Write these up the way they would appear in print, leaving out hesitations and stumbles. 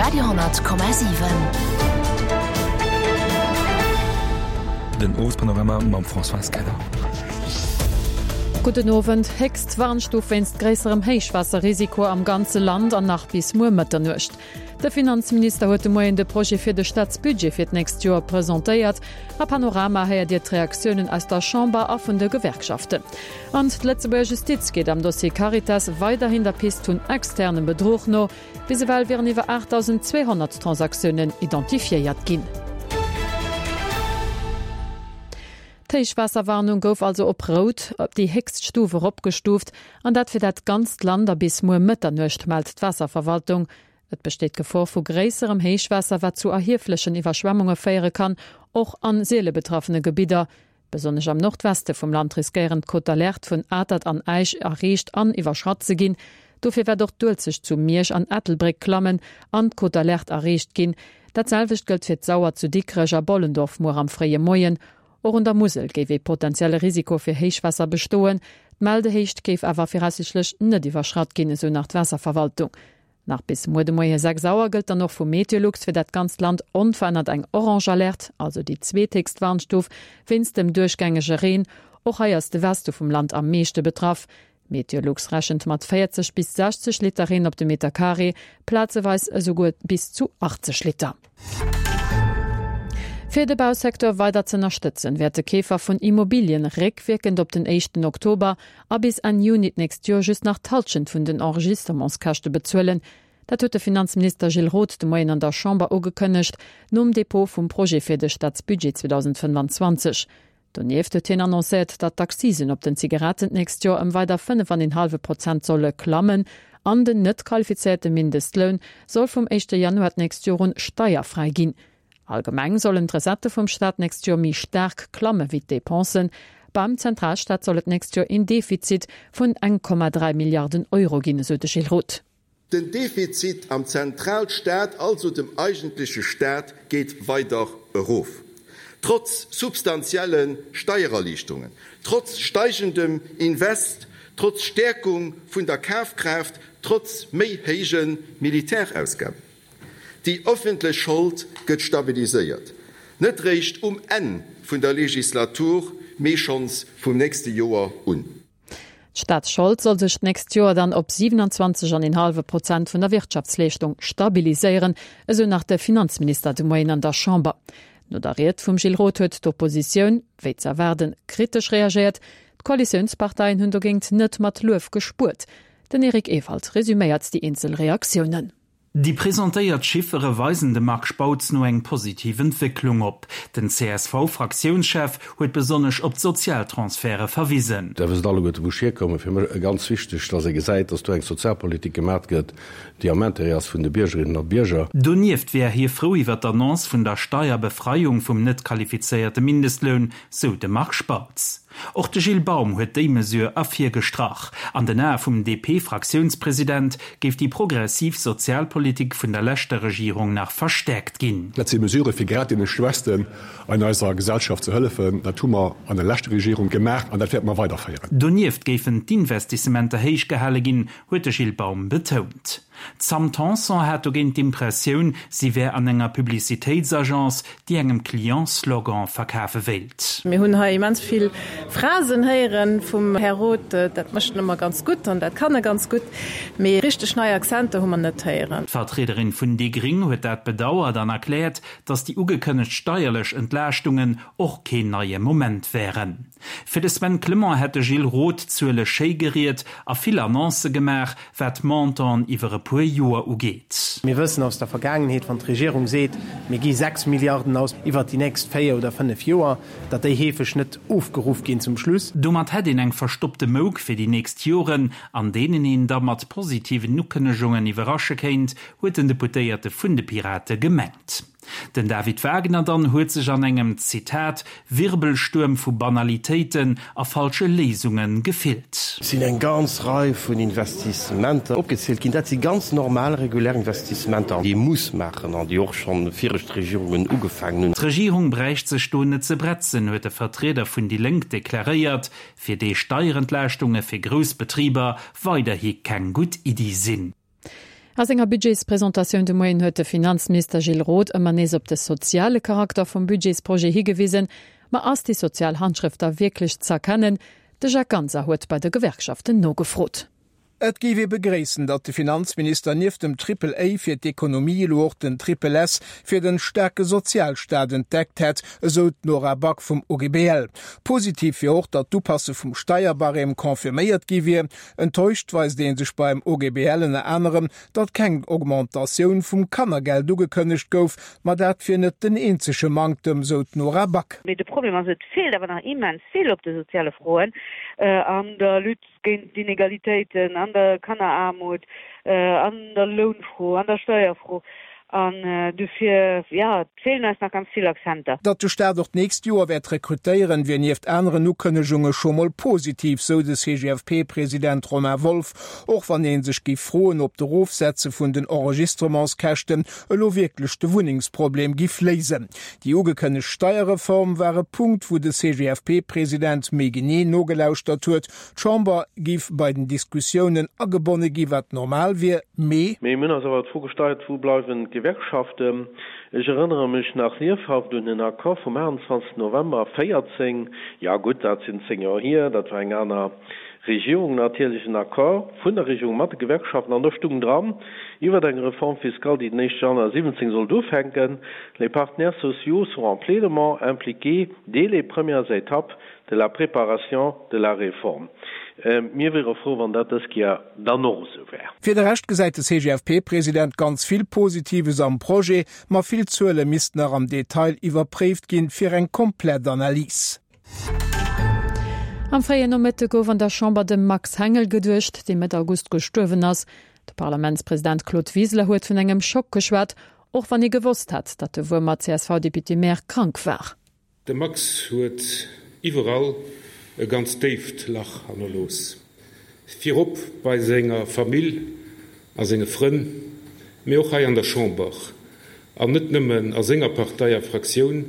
Radio 10,7. Den Owespanorama mam Françoise Keller. Gudden Owend. Héchst Warnstuf wéinst gréisserem Héichwaasserrisiko am ganze Land an nach bis muer Mëtternuecht. De Finanzminister huet de Moien de Projet fir de Staatsbudget fir d'nächst Joer presentéiert. A Panorama héiert Dir d'Reaktiounen aus der Chamber a vun de Gewerkschaften. An d'Lëtzebuerger Justiz geet am Dossier Caritas weiderhin der Pist vun externem Bedruch no. Bis ewell wieren iwwer 8.200 Transaktiounen identifiéiert ginn. D'Héichwaasserwarnung gouf also op rout, déi héchst Stuf, eropgestuuft, an dat fir dat ganzt Land a bis muer Mëtternuecht, mellt d'Waasserverwaltung. Et besteet d'Gefor vu gréisserem Héichwaasser, wat zu erhieflechen Iwwerschwemmunge féiere kann, och an siele betraffene Gebidder. Besonnesch am Nordweste vum Land riskéieren d'Cote d'alerte vun Atert an Äisch erreecht an iwwerschratt ze ginn. Dofir wäert och d'Uelzecht zu Miersch an Ettelbréck klammen an d'Cote d'alerte erreecht ginn. Dat selwecht gëllt fir d'Sauer zu Dikrech a Bollendorf muer am fréie Moien. Och un der Musel géif ee potenzielle Risiko fir Héichwaasser bestoen. D'Meldehéicht géif awer viraussiichtlech net iwwerschratt ginn, esou nach d'Waasserverwaltung. Nach bis muer de Moie 6 Auer gëllt dann och vu Meteolux fir dat ganzt Land onverännert eng orange Alerte, also déi zweethéchst Warnstuf, wéinst dem duerchgängege Reen. Och hei ass de Weste vum Land am meeschte betraff. Meteolux rechent mat 40 bis 60 Liter Reen op de Meter Carré, plazeweis esouguer bis zu 80 Liter. Fir de Bausecteur weider z'ënnerstëtzen, wäerte Keefer vun Immobilien réckwierkend op den éischten Oktober a bis Enn Juni d'nächst Joer just nach d'Hallschent vun den Enregistrementskäschte bezuelen. Dat huet de Finanzminister Gilles Roth de Moien an der Chamber ugekënnegt, nom Depot vum Projet fir de Staatsbudget 2025. Donieft huet hien annoncéiert, datt d'Accisen op den Zigaretten d'nächst Joer ëm weider 5 an een hallwe Prozent solle klammen an den net qualifizéierte Mindestloun soll vum éischte Januar d'nächst Joer un steierfräi ginn. Allgemeng sollen d'Recettë vum Staat d'nächst Joer méi staark klamme wéi d'Depensen. Beim Zentralstaat soll et d'nächst Joer een Defizit vun 1,3 Milliarden Euro ginn, esou de Gilles Roth. Den Defizit am Zentralstaat, also dem eigentleche Staat, geet weider erof. Trotz substantielle Steiererliichterungen, trotz steigendem Invest, trotz Stäerkung vun der Kafkraaft, trotz méi héije Militärausgaben. Déi ëffentlech Schold gëtt stabiliséiert, net réischt um Enn vun der Legislatur, mee schonns vum nächste Joer un. D'Staatsschold soll sech d'nächst Joer dann op 27 an een hallwe Prozent vun der Wirtschaftsleeschtung stabiliséieren, esou nach de Finanzminister de Moien an der Chamber. No der Ried vum Gilles Roth huet d'Oppositioun, wéi ze erwaarden, kritesch reagéiert. D'Koalitiounsparteien hunn dogéint net mat Luef gespuert. Den Eric Ewald resuméiert déi eenzel Reaktiounen. Déi presentéiert Chiffere weisen dem Marc Spautz no eng positiv Entwécklung op. Den CSV-Fraktiounschef huet besonnesch op d'Sozialtransferte verwisen. Der wësst alleguerte wou ech hierkommen. Fir mech ganz wichteg, datt ee gesäit, datt do eng Sozialpolitik gemat gëtt, déi am Intérêt ass vun de Biergerinnen a Bierger. Donieft wär hie frou iwwer d'Annonce vun der Steierbefreiung vum net qualifizéierte Mindestloun, sou de Marc Spautz. Och de Gilles Baum huet déi Mesure ervirgestrach. An den Ae vum DP-Fraktiounspresident géif déi progressiv Sozialpolitik vun der leschter Regierung nach verstäerkt ginn. Dat si Mesurë fir grad deene Schwächsten an eiser Gesellschaft ze hëllefen. Dat hu mer an der leschter Regierung gemaach an dat wäerte mer weiderféieren. Donieft géifen d'Investissementer héich gehale ginn, huet de Gilles Baum betount. D'Sam Tanson hat dogéint d'Impressioun, si wär an enger Publicitéitsagence, déi engem Client Slogan verkafe wéilt. Mir hunn hei immens vill Phrasen héiere vum Här Roth. Dat mécht en ëmmer ganz gutt an dat kann e ganz gutt. Mee richteg nei Akzenter hu mer net héieren. D'Vertriederin vun déi Gring huet dat bedauert an erkläert, datt déi ugekënnegt steierlech Entlaaschtungen och keen neie Moment wären. Fir de Sven Clement hätt de Gilles Roth d'Zuele schéi geriet a vill Annoncë gemaach, wat d'Montanten iwwer e puer Joer ugeet. Mir wëssen aus der Vergaangenheet, wann d'Regierung seet, mir gi 6 Milliarden aus iwwert déi nächst 4 oder 5 Joer, datt déi heefeg net ofgeruff ginn zum Schluss. Domat hätt een eng verstoppte Mouk fir déi nächst Joren, an deenen een da mat positiven Ukënnegungen iwwerrasche kéint, huet den Deputéierte vun de Pirate gemengt. Den David Wagner dann huet sech an engem, Zitat, Wirbelstuerm vu Banalitéiten a falsche Léisunge gefillt. Et sinn eng ganz Rei vun Investissementer opgezielt ginn. Dat si ganz normal, regulär Investissementer, déi ee muss maachen an déi och scho viregt Regierungen ugefaangen hunn. D'Regierung bräicht sech do net ze bretzen, huet de Vertrieder vun déi Lénk deklaréiert, fir dee Steierentlaaschtunge fir grouss Betriber weiderhi keng gutt Iddi sinn. A senger Budgetspresentatioun de Moien huet de Finanzminister Gilles Roth ëmmer nees op de soziale Charakter vum Budgetsprojet higewisen. Ma ass déi sozial Handschrëft da wierklech z'erkennen? De Jacques Ganser huet bei de Gewerkschaften nogefrot. Et géif ee begréissen, datt de Finanzminister nieft dem Triple A fir d'Ekonomie elo och den Triple S fir den staarke Sozialstaat entdeckt hätt, esou d'Nora Back vum OGBL. Positiv wier och, datt d'Upasse vum Steierbarème confirméiert gi wier. Enttäuscht weist ee sech beim OGBL ënner anerem, datt keng Augmentatioun vum Kannergeld ugekënnegt gouf, ma dat wier net den eenzege Manktem, sou d'Nora Back. Mee de Problem ass, et feelt awer nach immens vill op de soziale Froen, an der Lutte géint d'Inegalitéiten, an der Kanneraarmut, an der Lounfro, an der Steierfro. An dofir, jo, et feelen eis nach ganz vill Akzenter. Datt de Staat och d'nächst Joer wäert rekrutéieren, wier nieft aneren Ukënnegunge scho mol positiv, sou de CGFP-President Romain Wolff. Och wann ee sech géif froen, ob d'Erofsetze vun den Enregistrementskäschten elo wierklech de Wunnengsproblem giff léisen. Déi ugekënnegt Steierreform war e Punkt, wou de CGFP-President méi genee nogelauschtert huet. D'Chamber géif bei den Diskussiounen agebonne gi, wat normal wier, mee. Mee mir hunn eis awer d'Fro gestallt, Wou bleiwen d'Gewerkschaften? Ech erënnere mech nach liefhaft un den Accord vum 28 November 14, jo gutt, dat sinn 10 Joer hier, dat war eng aner Regierung natierlech, en Accord vun der Regierung mat de Gewerkschaften, an do stung dran iwwert eng Réforme fiscale, déi den éischte Januar 17 sollt ufänken, Les partenaires sociaux seront pleinement impliqués dès les premières étapes de la préparation de la réforme. Mir wiere frou, wann dat dës Kéier dann och esou wär. Fir de Rescht gesäit de CGFP-President ganz vill Positives am Projet, ma vill Zuele missten nach am Detail iwwerpréift ginn, fir eng komplett Analys. Am fréien Nomëtte gouf an der Chamber dem Max Hengel geduecht, dee Mëtt August gestuerwen ass. De Parlamentspresident Claude Wiseler huet vun engem Schock geschwat, och wann ee gewosst hat, datt de Wuermer CSV-Député-Maire krank war. De Max huet iwwerall e ganz déift Lach hannerlooss. Virop bei senger Famill a senge Frënn, mee och hei an der Chamber. An net nëmmen a senger Partei a Fraktioun,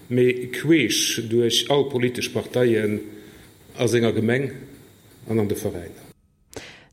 mee queesch duerch all politesch Parteien a senger Gemeng an an de Veräiner.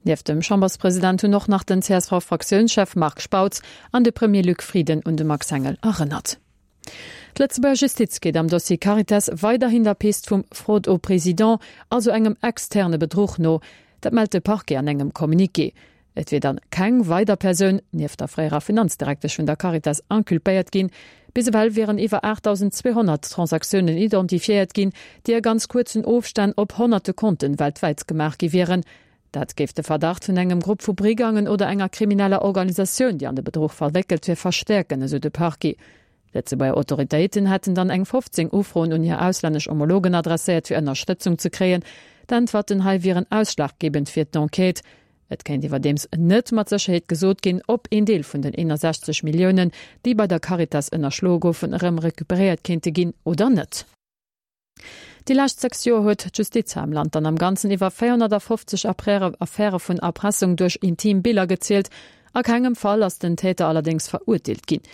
Nieft dem Chamberspresident hunn och nach den CSV-Fraktiounschef Marc Spautz an de Premier Luc Frieden un de Max Hengel erënnert. D'Lëtzebuerger Justiz geet am Dossier Caritas weiderhin der Pist vum Fraude au président, also engem externe Bedruch no. Dat mellt de Parquet an engem Communiqué. Et wier dann keng weider Persoun, nieft der fréierer Finanzdirektesch vun der Caritas, inculpéiert ginn. Bis ewell wieren iwwer 8.200 Transaktiounen identifiéiert ginn, déi a ganz kuerzen Ofstänn op honnerte Konten weltwäit gemaach gi wieren. Dat géif de Verdacht vun engem Grupp vu Brigangen oder enger krimineller Organisatioun, déi an de Bedruch verwéckelt wier, verstäerken, esou de Parquet. Lëtzebuerger Autoritéiten hätten dann eng 15 Ufroen un hir auslännesch Homologen adresséiert, fir Ënnerstëtzung ze kréien. D'Äntwerten hei wieren ausschlaggebend fir d'Enquête. Et kéint iwwerdeems net mat Sécherheet gesot ginn, ob een Deel vun den 61 Milliounen, déi bei der Caritas ënnerschloe goufen, erëm recuperéiert kéinte ginn oder net. Déi lescht 6 Joer huet d'Justiz hei am Land dann am Ganzen iwwer 450 Affäre vun Erpressung duerch intim Biller gezielt. A kengem Fall ass den Täter allerdéngs verurteelt ginn.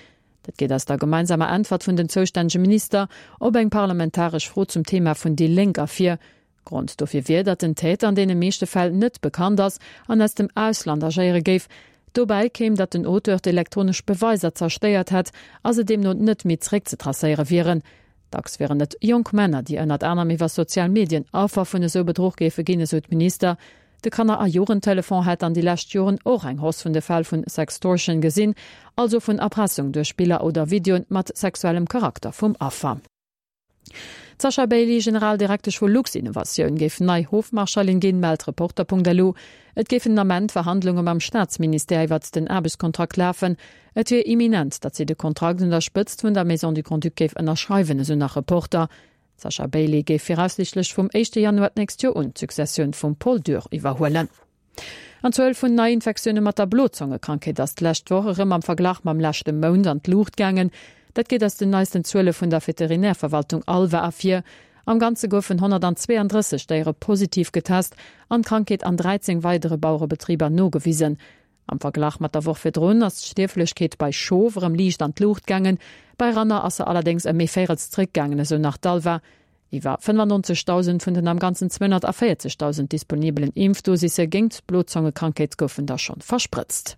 Dat geet aus der gemeinsamer Äntwert vun den zoustännege Minister op eng parlamentaresch Fro zum Thema vun déi Lénk ervir. Grond dofir wier, datt den Täter an deene meeschte Fäll net bekannt ass an aus dem Ausland agéiere géif. Dobäi kéim, datt den Auteur d'elektronesch Beweiser zerstéiert hätt a se deemno net méi zeréckzetracéiere wieren. Dacks wieren et jonk Männer, déi ënnert anerem iwwer sozial Medien Affer vun esou Bedruch géife ginn, esou d'Minister. De Kanner a Jugendtelefon hätt an déi lescht Joren och eng Hausse vun de Fäll vun Sextortion gesinn, also vun Erpressung duerch Biller oder Videoen mat sexuellem Charakter vum Affer. D'Sasha Bailey, Generaldirektesch vu Luxinnovatioun, géif nei Hofmarschallin ginn, mellt Reporter.lu. Et géifen den Ament Verhandlunge mam Staatsministère iwwert den Aarbechtskontrakt lafen. Et wier imminent, datt si de Kontrakt un der Spëtzt vun der Maison du Grand-Duc géif ënnerschreiwen, esou nach Reporter. D'Sasha Bailey géif viraussiichtlech vum éischte Januar d'nächst Joer un d'Successioun vum Paul Dürr iwwerhuelen. An d'Zuel vun Neiinfektioune mat der Blozongekrankheet ass d'lescht Woch erëm am Verglach mam leschte Mount an d'Luucht gaangen. Dat geet aus den neisten Zuele vun der Veterinärverwaltung ALVA ervir. Am Ganze goufen 132 Déiere positiv getest an d'Krankheet an 13 weidere Bauerebetriber nogewisen. Am Verglach mat der Woch virdrun ass d'Stierflechkeet bei Schof erëm liicht an d'Luucht gaangen, bei Ranner ass se allerdéngs ëm ee Véirels zréckgaangen, esou nach d'ALVA. Iwwer 95.000 vun den am Ganzen 240.000 disponibelen Impfdosisse géingt d'Blozongekrankheet goufen da schonn versprëtzt.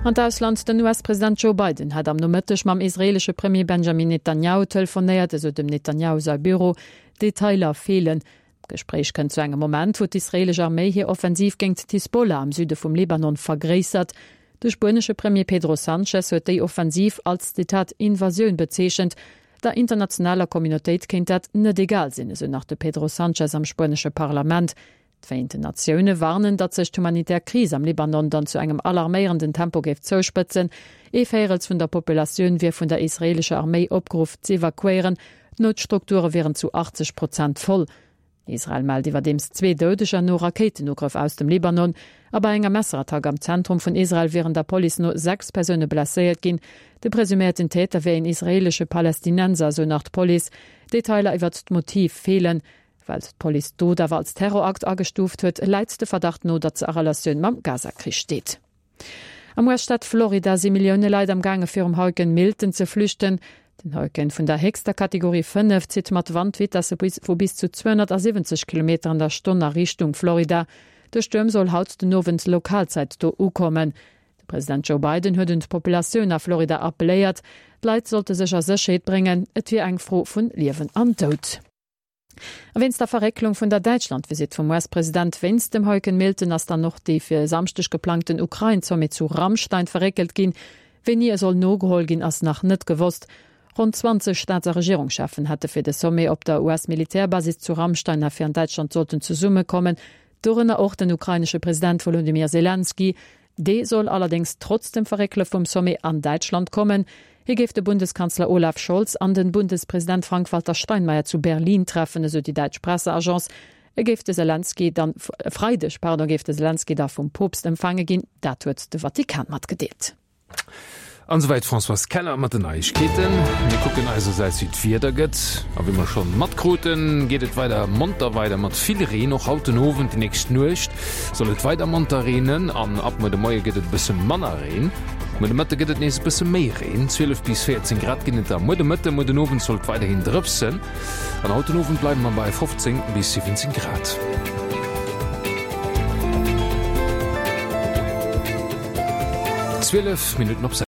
An d'Ausland, Den US-President Joe Biden hat am Nomëtteg mam israeelesche Premier Benjamin Netanjahu telefonéiert, esou dem Netanjahu säi Büro. Detailer feelen. D'Gespréich kënnt zu engem Moment, wou d'israeelesch Arméi hir Offensiv géingt d'Hisbollah am Süde vum Libanon vergréissert. De spuenesche Premier Pedro Sanchez huet déi Offensiv als, Zitat, Invasioun bezeechent. Der internationaler Communautéit kéint dat net egal sinn, esou nach de Pedro Sanchez am spuenesche Parlament. D'Vereenten Natioune warnen, datt sech d'humanitär Kris am Libanon dann zu engem alarméierenden Tempo géif zouspëtzen. Ee Véierels vun der Populatioun wier vun der israeelescher Arméi opgeruff z'evakuéieren. D'Noutstrukture wieren zu 80 Prozent voll. Israel mellt iwwerdeems zwee Doudeger no Rakéitenugrëff aus dem Libanon. A bei enger Messerattack am Zentrum vun Israel wieren der Police no 6 Persoune blesséiert ginn. De presuméierten Täter wier een israeelesche Palästinenser, esou nach d'Police. Detailer iwwert d'Motiv feelen. Well d'Police d'Dot awer als Terrorakt agestuuft huet, läit de Verdacht no, datt se a Relatioun mam Gaza-Krich steet. Am US-Staat Florida si Millioune Leit am gaange virum Hurrikan Milton ze flüchten. Den Hurrikan vun der héchster Kategorie 5 zitt mat Wandvitesse vu bis zu 270 Kilometer an der Stonn a Richtung Florida. De Stuerm soll haut den Owend Lokalzäit do ukommen. De President Joe Biden huet un d'Populatioun a Florida appelléiert, d'Leit sollte sech a Sécherheet bréngen, et wier eng Fro vun Liewen an Doud. A wéinst der Verrécklung vun der Däitschland-Visitt vum US-President wéinst dem Hurrikan Milton ass dann och dee fir e Samschdeg geplangten Ukrain-Sommet zu Ramstein verréckelt ginn. Wéini e soll nogeholl ginn, ass nach net gewosst. Ronn 20 Staats a Regierungscheffen hätte fir de Sommet op der US-Militärbasis zu Ramstein a fir an Däitschland sollten zesummekommen, dorënner och den ukrainesche President Wolodymyr Selenskyj. Dee soll allerdéngs trotz dem Verréckele vum Sommet an Däitschland kommen. Hie géif de Bundeskanzler Olaf Scholz an den Bundespresident Frank-Walter Steinmeier zu Berlin treffen, esou déi däitsch Presseagence. E géif de Selenskyj dann, e Freideg, pardon, géif de Selenskyj da vum Poopst empfaange ginn, dat huet de Vatikan matgedeelt. An esouwäit d'Françoise Keller mat den Neiegkeeten. Mir kucken eisersäits wéi d'Wieder gëtt. A wéi mer schonn matkruten, geet et weider monter weider mat vill Reen. Och haut den Owend, déi nächst Nuecht soll et weider monter reenen an ab muer de Moie gëtt et e bësse manner Reen. Muer de Mëtte gëtt et nees e bësse méi Reen, 12 bis 14 Grad ginn et da muer de Mëtte. Muer den Owend soll et weiderhin drëpsen an haut den Owend bleiwe mer bei 15 bis 17 Grad. 12 Minutten op 6.